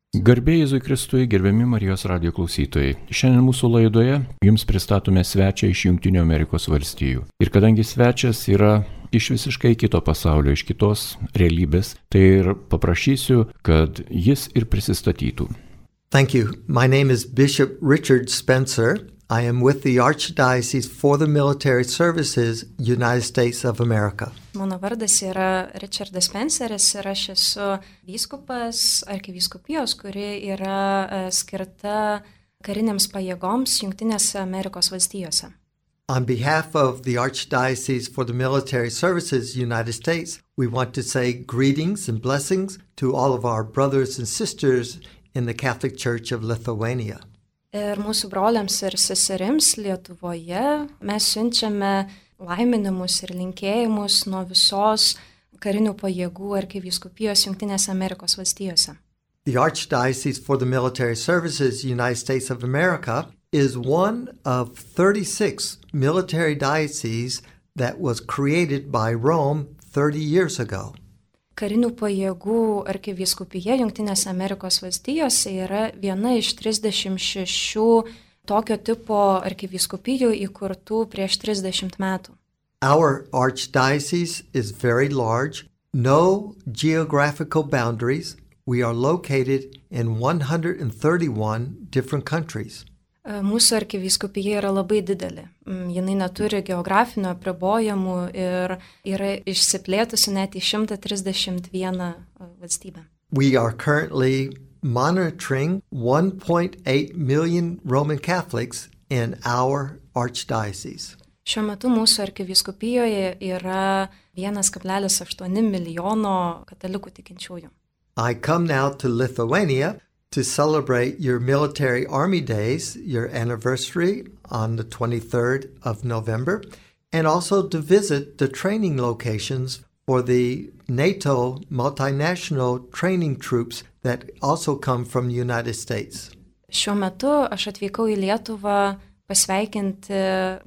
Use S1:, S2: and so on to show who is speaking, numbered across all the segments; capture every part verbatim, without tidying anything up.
S1: Garbė Jėzui Kristui, gerbiami Marijos radijo klausytojai. Šiandien mūsų laidoje jums pristatome svečią iš Jungtinių Amerikos valstijų. Ir kadangi svečias yra iš visiškai kito pasaulio, iš kitos realybės, tai ir paprašysiu, kad jis ir prisistatytų.
S2: Thank you. My name is Bishop Richard Spencer. I am with the Archdiocese for the Military Services, United States of America.
S3: Mano vardas yra Richardas Spenceris ir aš esu vyskupas arkivyskupijos, kuri yra skirta kariniams pajėgoms Jungtinėse Amerikos valstijose.
S2: On behalf of the Archdiocese for the Military Services, United States, we want to say greetings and blessings to all of our brothers and sisters in the Catholic Church of Lithuania.
S3: Ir mūsų broliams ir seserims Lietuvoje mes siunčiame laiminimus ir linkėjimus nuo visos karinių pajėgų arkivyskupijos Jungtinėse Amerikos valstijose.
S2: The Archdiocese for the Military Services, United States of America is one of thirty-six military dioceses that was created by Rome thirty years ago.
S3: Karinių pajėgų arkivyskupija Jungtinėse Amerikos valstijose yra viena iš trisdešimt šešių tokio tipo arkivyskupijų įkurtų prieš trisdešimt metų.
S2: Our archdiocese is very large, no geographical boundaries. We are located in one hundred thirty-one different countries.
S3: Mūsų arkivyskupija yra labai didelė. Jinai neturi geografinių apribojimų ir yra išsiplėtusi net į šimtą trisdešimt vieną valstybę.
S2: We are currently monitoring one point eight million Roman Catholics in our archdiocese.
S3: Šiuo metu mūsų arkivyskupijoje yra vienas kablelis aštuoni milijono katalikų tikinčiųjų.
S2: I come now to Lithuania to celebrate your military army days, your anniversary on the twenty-third of November, and also to visit the training locations for the NATO multinational training troops that also come from the United States.
S3: Šiuo metu aš atvykau į Lietuvą pasveikinti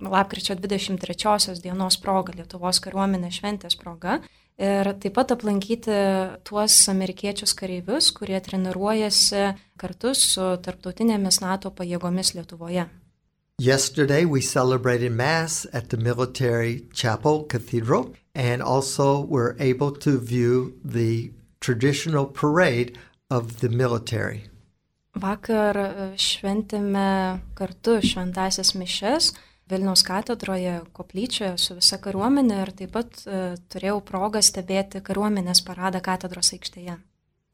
S3: lapkričio dvidešimt trečiosios dienos progą, Lietuvos kariuomenės šventės proga, ir taip pat aplankyti tuos amerikiečius kareivius, kurie treniruojasi kartu su tarptautinėmis NATO pajėgomis Lietuvoje.
S2: Yesterday we celebrated Mass at the Military Chapel Cathedral and also were able to view the traditional parade of the military.
S3: Vakar šventėme kartu šventąsias mišias Vilniaus katedroje, koplyčioje su visa kariuomenė ir taip pat uh, turėjau progą stebėti kariuomenės paradą katedros aikštėje.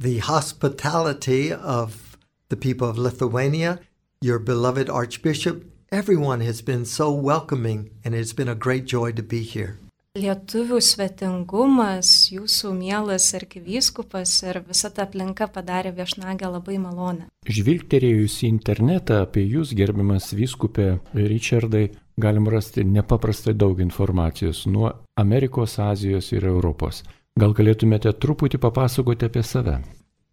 S2: The hospitality of the people of Lithuania, your beloved Archbishop, everyone has been so welcoming and it's been a great joy to be here.
S3: Lietuvių svetingumas, jūsų mielas arkivyskupas ir visa ta aplinka padarė viešnagę labai malonę.
S1: Žvilgterėjus į internetą apie jūs, gerbiamas vyskupė Richardai, galim rasti nepaprastai daug informacijos nuo Amerikos, Azijos ir Europos. Gal galėtumėte truputį papasakoti apie save?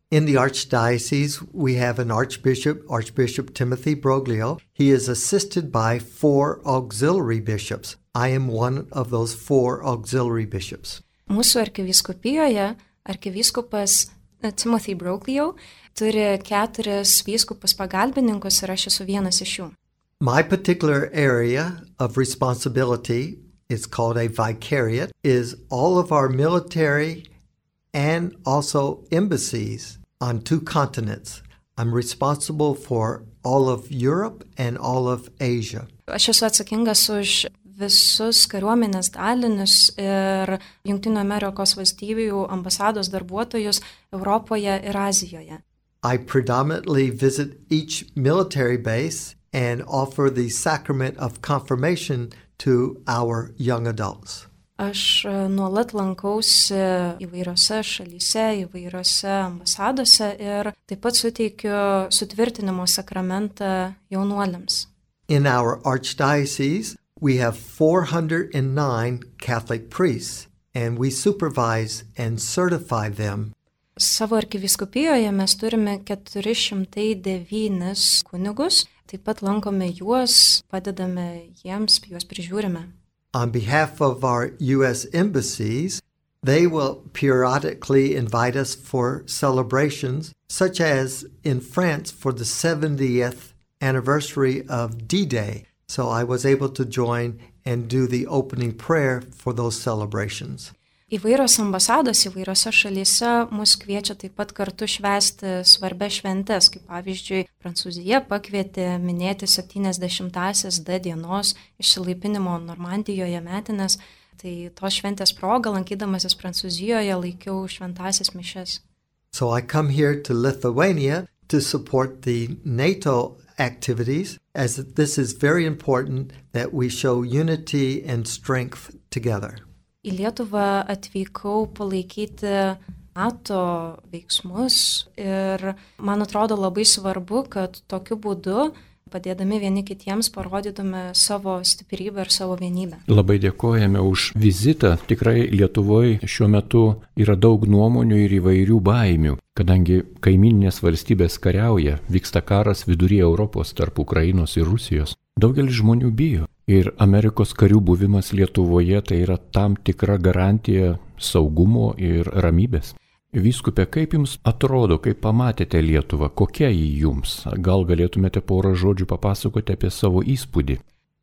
S2: In the Archdiocese, we have an Archbishop, Archbishop Timothy Broglio. He is assisted by four auxiliary bishops. I am one of those four auxiliary bishops.
S3: Mūsų arkivyskupijoje arkivyskupas Timothy Broglio turi keturis vyskupus pagalbininkus ir aš esu vienas iš jų.
S2: My particular area of responsibility is called a vicariate, is all of our military and also embassies on two continents. I'm responsible for all of Europe and all of Asia.
S3: Aš esu atsakingas už visus kariuomenės dalinius ir Jungtinių Amerikos valstybių ambasados darbuotojus Europoje ir Azijoje.
S2: I predominantly visit each military base and offer the sacrament of confirmation to our young adults.
S3: Aš nuolat lankausi įvairiose šalyse, įvairiose ambasadose ir taip pat suteikiu sutvirtinimo sakramentą jaunuoliams.
S2: In our archdiocese, we have four hundred nine Catholic priests, and we supervise and certify them.
S3: Savo arkivyskupijoje mes turime keturi šimtai devynis kunigus, taip pat lankome juos, padedame jiems, juos prižiūrime.
S2: On behalf of our U S embassies, they will periodically invite us for celebrations, such as in France for the seventieth anniversary of D-Day. So I was able to join and do the opening prayer for those celebrations.
S3: Įvairios ambasados įvairiose šalyse mus kviečia taip pat kartu švęsti svarbias šventes, kaip pavyzdžiui, Prancūzija pakvietė minėti septyniasdešimtąsias D dienos išsilaipinimo Normandijoje metinės, tai tos šventės proga, lankydamasis Prancūzijoje, laikiau šventąsias mišias.
S2: So I come here to Lithuania to support the NATO activities, as this is very important that we show unity and strength together.
S3: Į Lietuvą atvykau palaikyti NATO veiksmus ir man atrodo labai svarbu, kad tokiu būdu, padėdami vieni kitiems, parodytume savo stiprybę ir savo vienybę.
S1: Labai dėkojame už vizitą. Tikrai Lietuvoje šiuo metu yra daug nuomonių ir įvairių baimių, kadangi kaimininės valstybės kariauja, vyksta karas viduryje Europos tarp Ukrainos ir Rusijos. Daugelis žmonių bijo. Ir Amerikos karių buvimas Lietuvoje tai yra tam tikra garantija saugumo ir ramybės. Vyskupe, kaip jums atrodo, kaip pamatėte Lietuvą, kokia jį jums? Gal galėtumėte porą žodžių papasakoti apie savo įspūdį?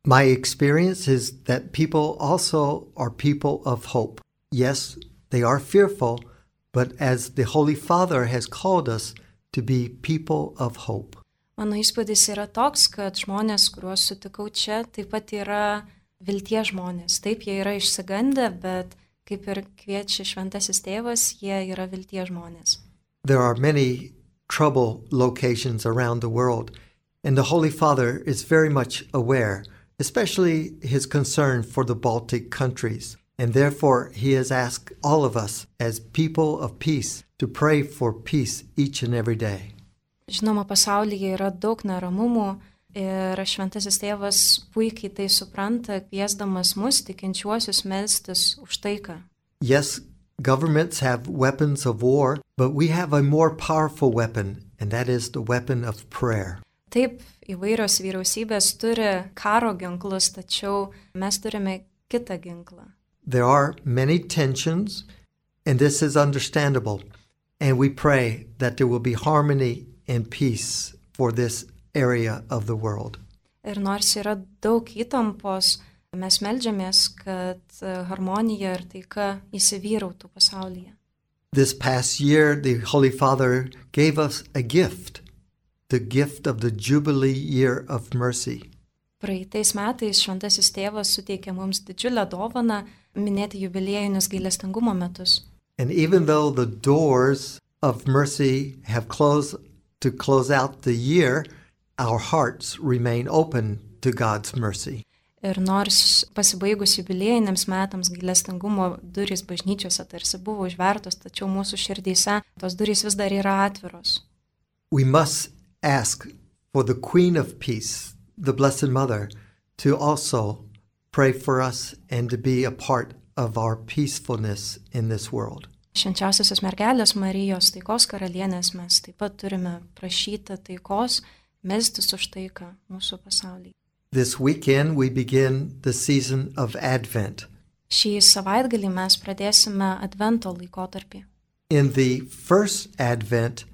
S2: My experience is that people also are people of hope. Yes, they are fearful, but as the Holy Father has called us to be people of hope.
S3: Mano įspūdis yra toks, kad žmonės, kuriuos sutikau čia, taip pat yra vilties žmonės. Taip, jie yra išsigandę, bet kaip ir kviečia šventasis tėvas, jie yra vilties žmonės.
S2: There are many trouble locations around the world, and the Holy Father is very much aware, especially his concern for the Baltic countries. And therefore, he has asked all of us as people of peace to pray for peace each and every day.
S3: Žinoma, pasaulyje yra daug neramumų ir šventasis tėvas puikiai tai supranta, kviesdamas mus tikinčiuosius melstis už taiką.
S2: Yes, governments have weapons of war, but we have a more powerful weapon, and that is the weapon of prayer.
S3: Taip, įvairios vyriausybės turi karo ginklus, tačiau mes turime kitą ginklą.
S2: There are many tensions, and this is understandable, and we pray that there will be harmony and peace for this area of the world.
S3: Ir nors yra daug įtampos, mes meldžiamės, kad harmonija ir taika įsivyrautų pasaulyje.
S2: This past year, the Holy Father gave us a gift, the gift of the Jubilee Year of Mercy.
S3: Praeitais metais šventasis tėvas suteikė mums didžiulę dovaną minėti jubiliejinius gailestingumo metus.
S2: And even though the doors of mercy have closed to close out the year, our hearts remain open to God's mercy.
S3: Ir nors pasibaigus jubiliejiniams metams gailestingumo durys bažnyčiose tarsi buvo užvertos, tačiau mūsų širdyse tos durys vis dar yra atviros.
S2: We must ask for the Queen of Peace, the Blessed Mother, to also pray for us and to be a part of our peacefulness in this world.
S3: Švenčiausiosios mergelės Marijos taikos karalienės mes taip pat turime prašyti taikos, melstis už taiką mūsų pasaulyje.
S2: This weekend we begin the season of Advent.
S3: Šį savaitgalį mes pradėsime Advento laikotarpį.
S2: In the first Advent,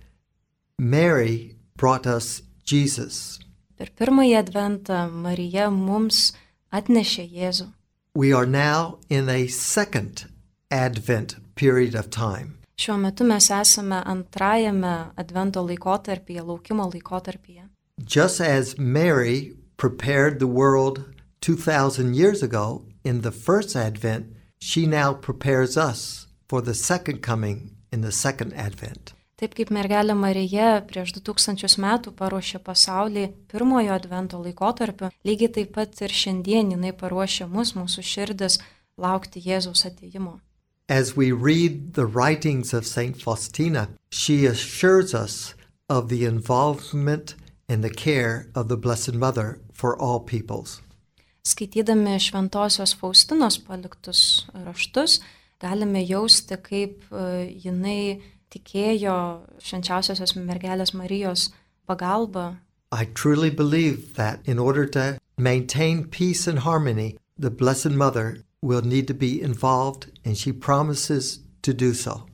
S2: Mary brought us Jesus.
S3: Per pirmąjį Adventą Marija mums atnešė Jėzų.
S2: We are now in a second Advent period of time.
S3: Šiuo metu mes esame antrajame Advento laikotarpyje, laukimo laikotarpyje.
S2: Just as Mary prepared the world two thousand years ago in the first Advent, she now prepares us for the second coming in the second Advent.
S3: Taip kaip mergelė Marija prieš du tūkstančius metų paruošė pasaulį pirmojo Advento laikotarpiu, lygiai taip pat ir šiandien jinai paruošė mus, mūsų širdis, laukti Jėzaus atėjimo.
S2: As we read the writings of Saint Faustina, she assures us of the involvement and the care of the Blessed Mother for all peoples.
S3: Skaitydami šventosios Faustinos paliktus raštus, galime jausti, kaip jinai tikėjo švenčiausiosios mergelės Marijos pagalba.
S2: I truly believe that in order to maintain peace and harmony, the Blessed Mother will need to be involved, and she promises to do so.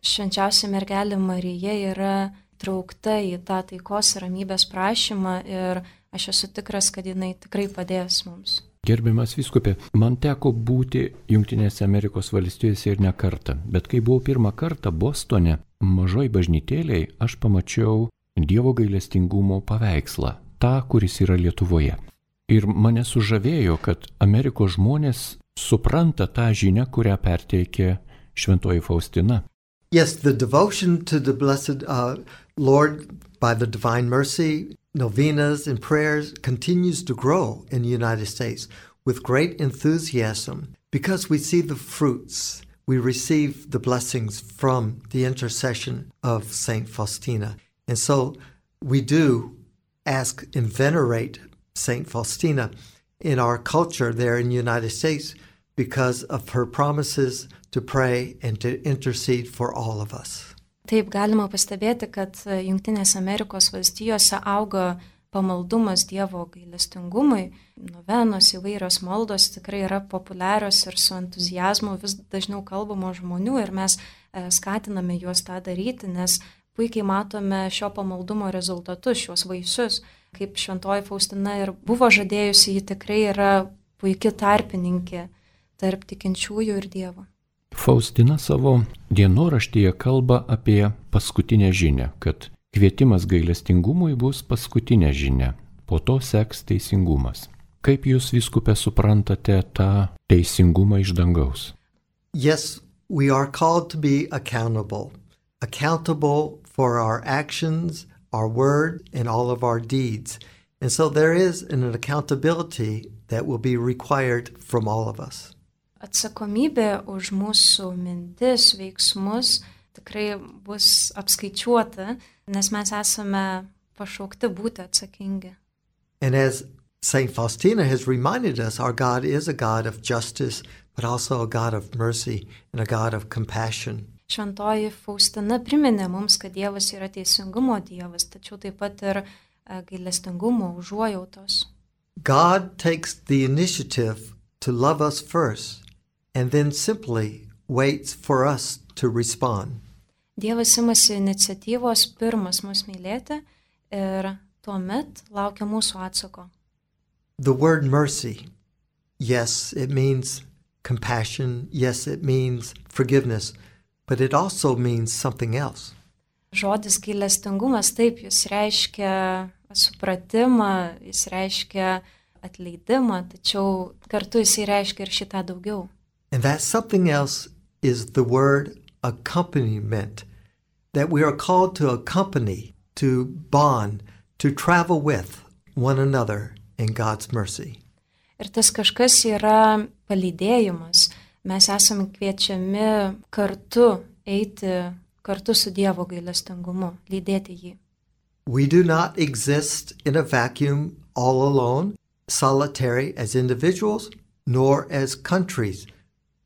S3: Švenčiausia mergelė Marija yra traukta į tą taikos ir ramybės prašymą ir aš esu tikras, kad jinai tikrai padės mums.
S1: Gerbiamas vyskupė, man teko būti Jungtinėse Amerikos valstijose ir ne kartą, bet kai buvau pirmą kartą Bostone, mažoj bažnytėlėj, aš pamačiau Dievo gailestingumo paveikslą, tą, kuris yra Lietuvoje. Ir mane sužavėjo, kad Amerikos žmonės supranta tą žinią, kurią perteikė Šventoji Faustina.
S2: Yes, the devotion to the Blessed uh, Lord by the Divine Mercy, novenas and prayers continues to grow in the United States with great enthusiasm because we see the fruits. We receive the blessings from the intercession of Saint Faustina. And so we do ask and venerate Saint Faustina in our culture there in the United States because of her promises to pray and to intercede for all of us.
S3: Taip galima pastebėti, kad Jungtinėse Amerikos valstijose auga pamaldumas Dievo gailestingumui, novenos įvairios maldos tikrai yra populiarios ir su entuzijazmu vis dažniau kalbamo žmonių ir mes skatiname juos tą daryti, nes puikiai matome šio pamaldumo rezultatus, šios vaisius. Kaip Šventoji Faustina ir buvo žadėjusi, ji tikrai yra puiki tarpininkė tarp tikinčiųjų ir Dievo.
S1: Faustina savo dienoraštyje kalba apie paskutinę žinią, kad kvietimas gailestingumui bus paskutinė žinia, po to seks teisingumas. Kaip jūs, vyskupė, suprantate tą teisingumą iš dangaus?
S2: Yes, we are called to be accountable. Accountable for our actions, our word, and all of our deeds. And so there is an accountability that will be required from all of us.
S3: Atsakomybė už mūsų mintis, veiksmus tikrai bus apskaičiuota, nes mes esame pašaukti būti atsakingi.
S2: And as Saint Faustina has reminded us, our God is a God of justice, but also a God of mercy and a God of compassion.
S3: Šventoji Faustina priminė mums, kad Dievas yra teisingumo Dievas, tačiau taip pat ir gailestingumo, užuojautos.
S2: God takes the initiative to love us first and then simply waits for us to respond.
S3: Dievas imasi iniciatyvos pirmas mus mylėti ir tuomet laukia mūsų atsako.
S2: The word mercy, yes, it means compassion, yes, it means forgiveness, but it also means something else.
S3: Žodis gailestingumas, taip, jis reiškia supratimą, jis reiškia atleidimą, tačiau kartu jis reiškia ir šitą daugiau.
S2: And that something else is the word accompaniment, that we are called to accompany, to bond, to travel with one another in God's mercy.
S3: Ir tas kažkas yra palydėjimas. Mes esame kviečiami kartu eiti kartu su Dievo gailestingumu, lydėti jį.
S2: We do not exist in a vacuum all alone, solitary as individuals, nor as countries,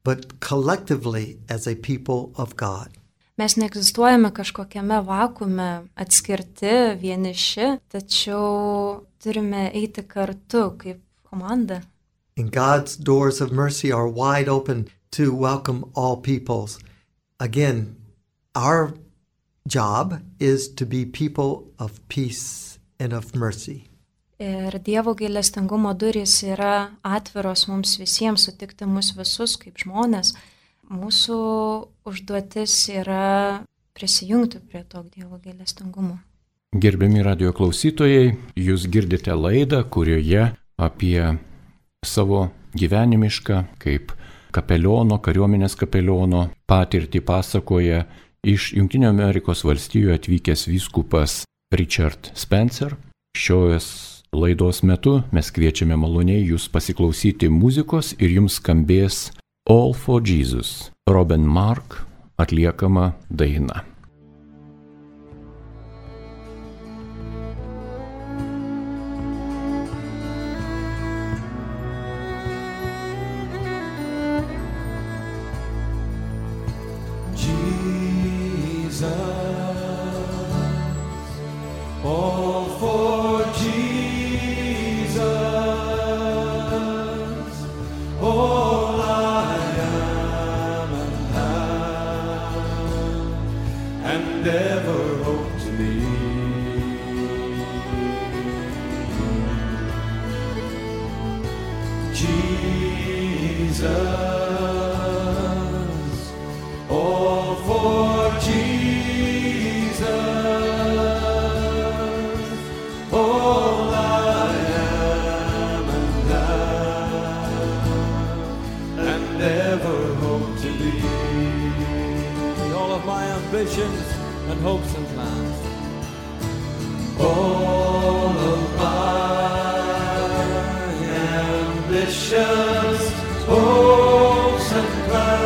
S2: but collectively as a people of God.
S3: Mes neegzistuojame kažkokiame vakuume, atskirti, vieniši, tačiau turime eiti kartu kaip komanda.
S2: And God's doors of mercy are wide open to welcome all peoples. Again, our job is to be people of peace and of mercy.
S3: Ir Dievo gailestingumo durys yra atviros mums visiems sutikti mus visus kaip žmonės. Mūsų užduotis yra prisijungti prie to Dievo gailestingumo.
S1: Gerbiami radijo klausytojai, jūs girdite laidą, kurioje apie savo gyvenimišką kaip kapeliono, kariuomenės kapeliono patirtį pasakoja iš Jungtinių Amerikos valstijų atvykęs vyskupas Richard Spencer. Šios laidos metu mes kviečiame maloniai jūs pasiklausyti muzikos ir jums skambės All for Jesus, Robin Mark atliekama daina.
S4: All for Jesus, all I ambitions and hopes and plans. All of my ambitions, hopes and plans,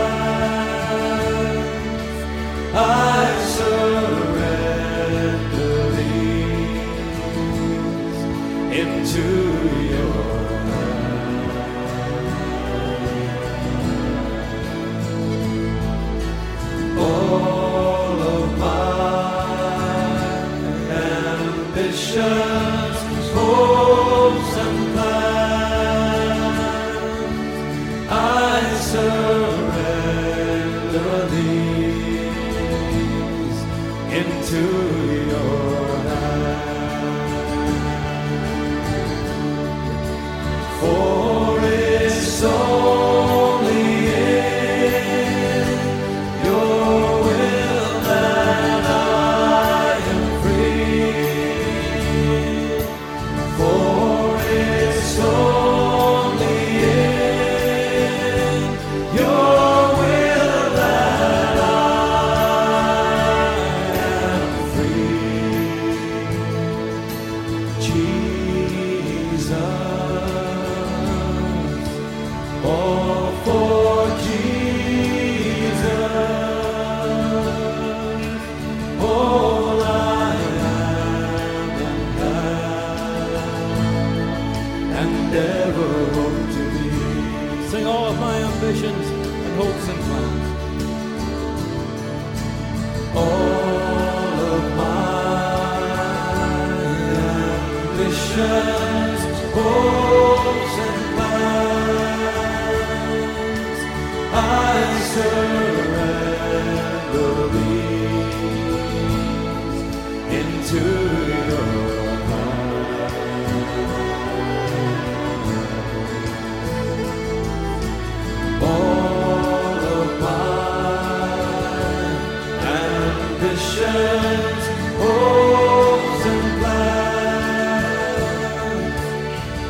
S4: I surrender these into your hands. All of my ambitions, hopes and plans, I surrender these into your hands. For it's only in your will that I am free. For it's only in your will that I am free. Jesus, all for Jesus, all I am and ever hope to be. Sing all of my ambitions and hopes and plans. All of my ambitions, hopes and plans, I surrender these into your hands. All of my ambitions, hopes and plans,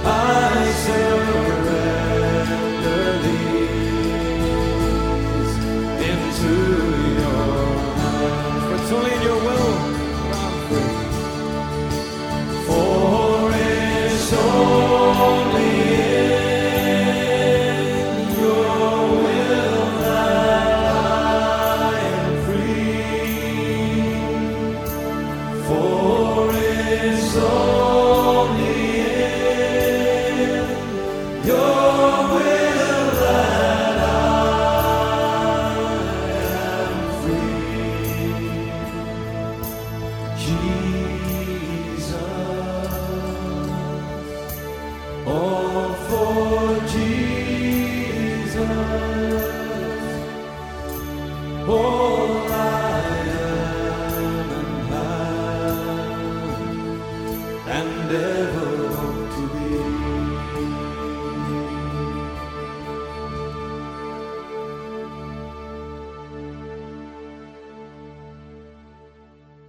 S4: I surrender these into your hands. For it's only in your will that I'm free. For it's only in your will that I am free. For it's only in your will that I am free. Jesus, all for Jesus, all I am and have and ever hope to be.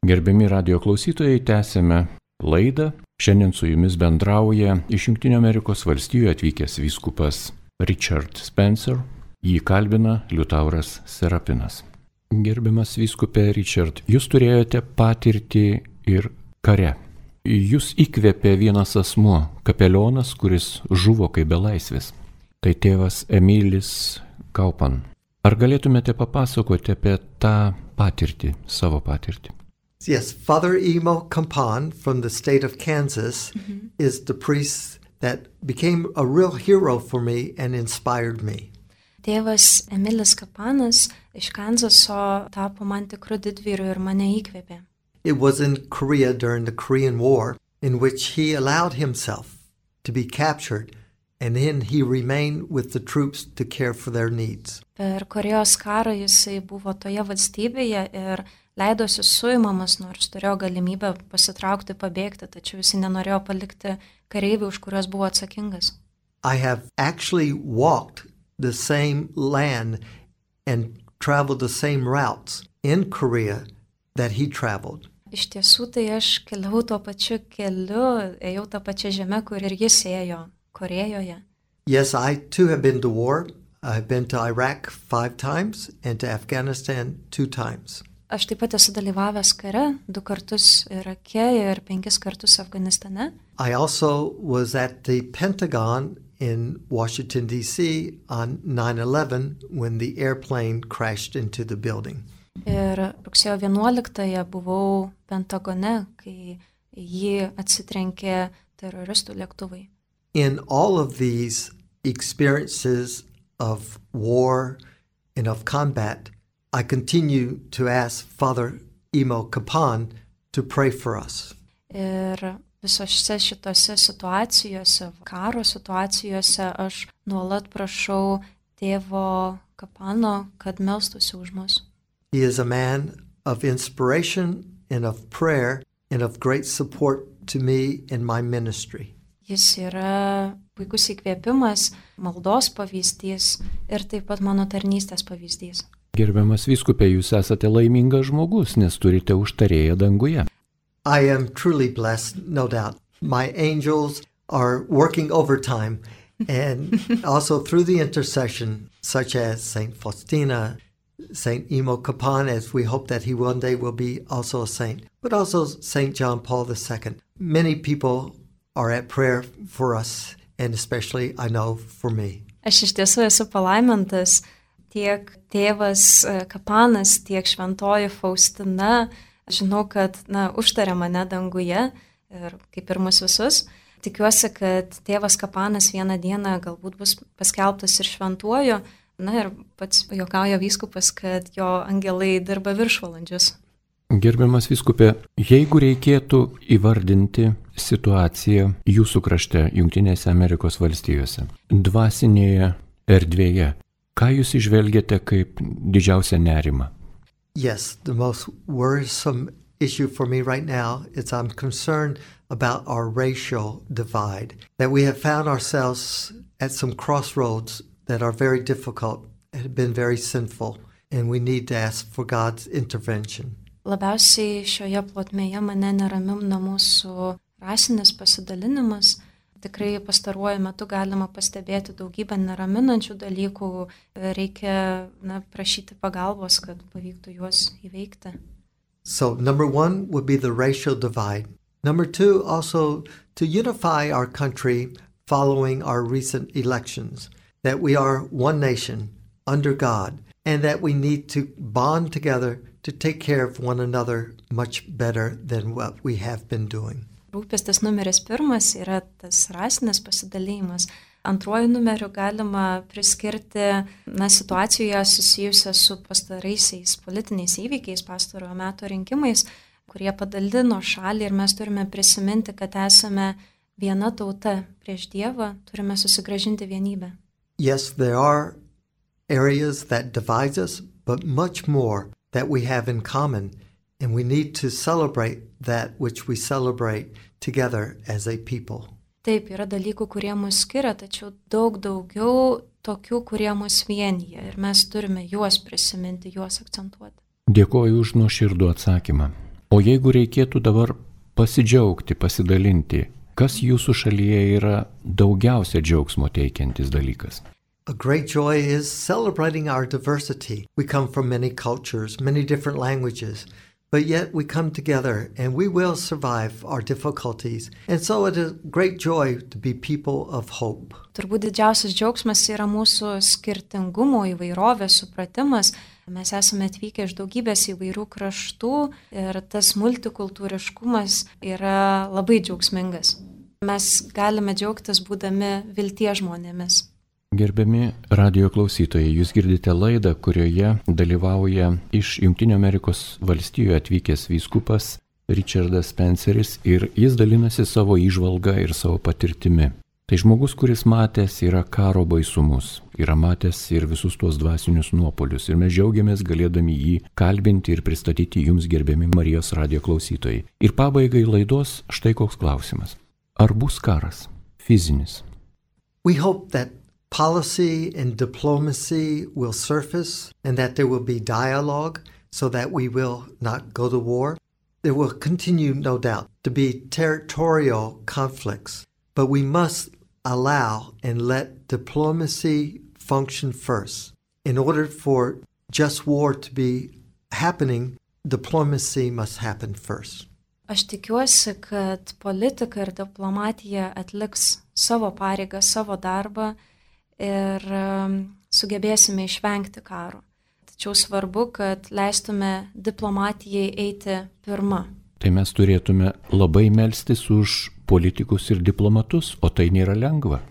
S1: Gerbiami radio klausytojai, tęsime laidą. Šiandien su jumis bendrauja iš Jungtinių Amerikos valstijų atvykęs vyskupas Richard Spencer. Jį kalbina Liutauras Serapinas. Gerbiamas vyskupė Richard, jūs turėjote patirtį ir kare. Jūs įkvėpė vienas asmuo, kapelionas, kuris žuvo kaip belaisvis. Tai tėvas Emilis Kaupan. Ar galėtumėte papasakoti apie tą patirtį, savo patirtį?
S2: Yes, Father Emo Kampan from the state of Kansas mm-hmm. is the priest that became a real hero for me and inspired me.
S3: Tėvas Emilis Kapanas iš Kanzaso tapo man tikru didvyriu ir mane įkvėpė.
S2: It was in Korea during the Korean War in which he allowed himself to be captured and then he remained with the troops to care for their needs.
S3: Per Korėjos karą jisai buvo toje valstybėje ir leidosi suimamas, nors turėjo galimybę pasitraukti, pabėgti, tačiau jis nenorėjo palikti kareivių, už kuriuos buvo atsakingas.
S2: I have actually walked the same land and traveled the same routes in Korea that he traveled.
S3: Iš tiesų tai aš keliau tuo pačiu keliu, ėjau tą pačią žemę, kur ir jis ėjo Korėjoje.
S2: Yes, I too have been to war. I've been to Iraq five times and to Afghanistan two times.
S3: Aš taip pat esu dalyvavęs kare, du kartus Irake ir penkis kartus Afganistane.
S2: I also was at the Pentagon in Washington, D C on nine eleven when the airplane crashed into the building.
S3: Ir rugsėjo vienuoliktąją buvau Pentagone, kai jį atsitrenkė teroristų lėktuvai.
S2: In all of these experiences of war and of combat, I continue to ask Father Imo Kapan to pray for us.
S3: Ir visose šitose situacijose, karo situacijose, aš nuolat prašau tėvo Kapano, kad melstųsi už mus.
S2: He is a man of inspiration and of prayer and of great support to me in my ministry.
S3: Jis yra puikus įkvėpimas, maldos pavyzdys ir taip pat mano tarnystės pavyzdys.
S1: Gerbiamas vyskupė, jūs esate laimingas žmogus, nes turite užtarėją danguje.
S2: I am truly blessed, no doubt. My angels are working overtime, and also through the intercession, such as Saint Faustina, Saint Imo Kapan, as we hope that he one day will be also a saint, but also Saint John Paul the Second. Many people are at prayer for us, and especially, I know, for me.
S3: Aš iš tiesų esu palaimintas. Tiek tėvas Kapanas, tiek šventoji Faustina, žinau, kad na, užtarė mane danguje, ir kaip ir mus visus. Tikiuosi, kad tėvas Kapanas vieną dieną galbūt bus paskelbtas ir šventuoju, na ir pats juokauja vyskupas, kad jo angelai dirba viršvalandžius.
S1: Gerbiamas vyskupė, jeigu reikėtų įvardinti situaciją jūsų krašte, Jungtinėse Amerikos valstijose, dvasinėje erdvėje, ką jūs įžvelgiate kaip didžiausią nerimą?
S2: Yes, the most worrisome issue for me right now is I'm concerned about our racial divide, that we have found ourselves at some crossroads that are very difficult and have been very sinful, and we need to ask for God's intervention.
S3: Labiausiai šioje plotmėje mane neramina mūsų rasinis pasidalinimas. Tikrai pastaruoju metu galima pastebėti daugybę neraminančių dalykų, reikia na, prašyti pagalbos, kad pavyktų juos įveikti.
S2: So number one would be the racial divide. Number two, also to unify our country following our recent elections, that we are one nation under God, and that we need to bond together to take care of one another much better than what we have been doing.
S3: Rūpestis numeris pirmas yra tas rasinis pasidalėjimas. Antruoju numeriu galima priskirti na, situacijoje susijusią su pastaraisiais politiniais įvykiais, pastarojo meto rinkimais, kurie padalino šalį ir mes turime prisiminti, kad esame viena tauta prieš Dievą, turime susigrąžinti vienybę.
S2: Yes, there are areas that divide us, but much more that we have in common, and we need to celebrate that which we celebrate together as a people.
S3: Taip, yra dalykų, kurie mus skiria, tačiau daug daugiau tokių, kurie mus vienyje ir mes turime juos prisiminti, juos akcentuoti.
S1: Dėkoju už nuoširdų atsakymą. O jeigu reikėtų dabar pasidžiaugti, pasidalinti, kas jūsų šalyje yra daugiausia džiaugsmo teikiantis dalykas?
S2: A great joy is celebrating our diversity. We come from many cultures, many different languages, but yet we come together and we will survive our difficulties. And so it is great joy to be people of hope.
S3: Turbūt didžiausias džiaugsmas yra mūsų skirtingumo, įvairovės supratimas. Mes esame atvykę iš daugybės įvairių kraštų ir tas multikultūriškumas yra labai džiaugsmingas. Mes galime džiaugtis būdami vilties žmonėmis.
S1: Gerbiami radijo klausytojai, jūs girdite laidą, kurioje dalyvauja iš Jungtinių Amerikos valstijų atvykęs vyskupas Richardas Spenceris ir jis dalinasi savo įžvalgą ir savo patirtimi. Tai žmogus, kuris matęs yra karo baisumus, yra matęs ir visus tuos dvasinius nuopolius ir mes džiaugiamės galėdami jį kalbinti ir pristatyti jums, gerbiami Marijos radijo klausytojai. Ir pabaigai laidos štai koks klausimas. Ar bus karas? Fizinis?
S2: We hope that policy and diplomacy will surface and that there will be dialogue so that we will not go to war. There will continue, no doubt, to be territorial conflicts, but we must allow and let diplomacy function first. In order for just war to be happening, diplomacy must happen first.
S3: Aš tikiuosi, kad politika ir diplomatija atliks savo pareigą, savo darbą ir sugebėsime išvengti karo. Tačiau svarbu, kad leistume diplomatijai eiti pirma.
S1: Tai mes turėtume labai melstis už politikus ir diplomatus, o tai nėra lengva.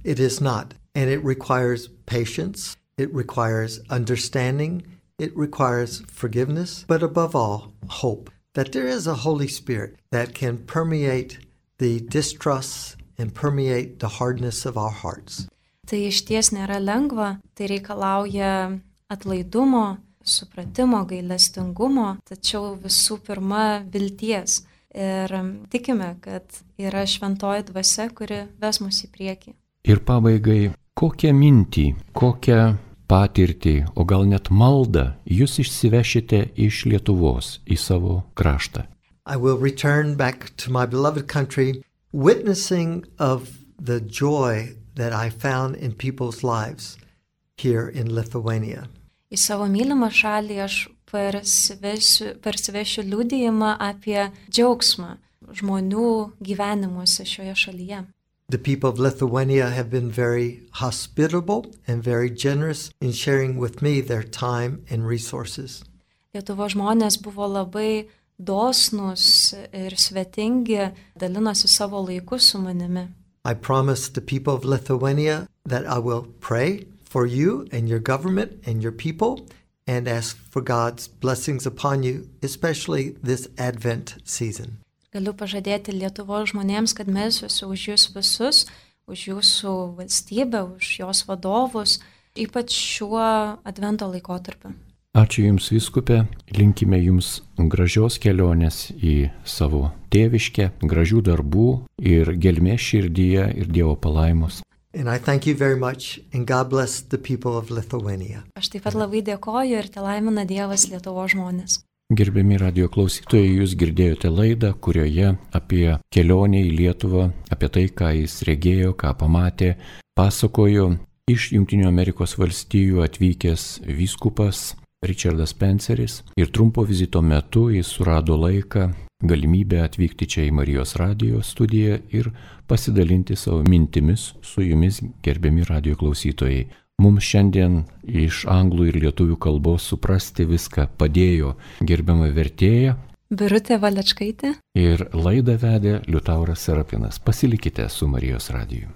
S2: It is not, and it requires patience, it requires understanding, it requires forgiveness, but above all, hope that there is a Holy Spirit that can permeate the distrust and permeate the hardness of our hearts.
S3: Tai iš ties nėra lengva, tai reikalauja atlaidumo, supratimo, gailestingumo, tačiau visų pirma vilties. Ir tikime, kad yra šventoji dvasia, kuri ves mus į priekį.
S1: Ir pabaigai, kokią mintį, kokią patirtį, o gal net maldą jūs išsivešite iš Lietuvos į savo kraštą?
S2: I will return back to my beloved country, witnessing of the joy that I found in people's lives here in Lithuania.
S3: Į savo mylimą šalį aš parsivešiu, parsivešiu liudijimą apie džiaugsmą žmonių gyvenimuose šioje šalyje.
S2: The people of Lithuania have been very hospitable and very generous in sharing with me their time and resources.
S3: Lietuvos žmonės buvo labai dosnūs ir svetingi, dalinosi savo laiku su manimi.
S2: I promise the people of Lithuania that I will pray for you and your government and your people and ask for God's blessings upon you, especially this Advent season.
S3: Galiu pažadėti Lietuvos žmonėms, kad melsiuosi už jūs visus, už jūsų valstybę, už jos vadovus, ypač šiuo advento laikotarpiu.
S1: Ačiū Jums, vyskupė, linkime Jums gražios kelionės į savo tėviškę, gražių darbų ir gelmės širdyje ir Dievo palaimos.
S2: And I thank you very much, and God bless the people of Lithuania.
S3: Aš taip pat labai dėkoju ir te laimina Dievas Lietuvos žmonės.
S1: Gerbiami radio klausytojai, jūs girdėjote laidą, kurioje apie kelionę į Lietuvą, apie tai, ką jis regėjo, ką pamatė, pasakojo iš Jungtinių Amerikos valstijų atvykęs vyskupas Richardas Spenceris. Ir trumpo vizito metu jis surado laiką, galimybę atvykti čia į Marijos radijo studiją ir pasidalinti savo mintimis su jumis, gerbiami radio klausytojai. Mums šiandien iš anglų ir lietuvių kalbos suprasti viską padėjo gerbiama vertėja
S3: Birutė Valečkaitė
S1: ir laidą vedė Liutauras Serapinas. Pasilikite su Marijos radiju.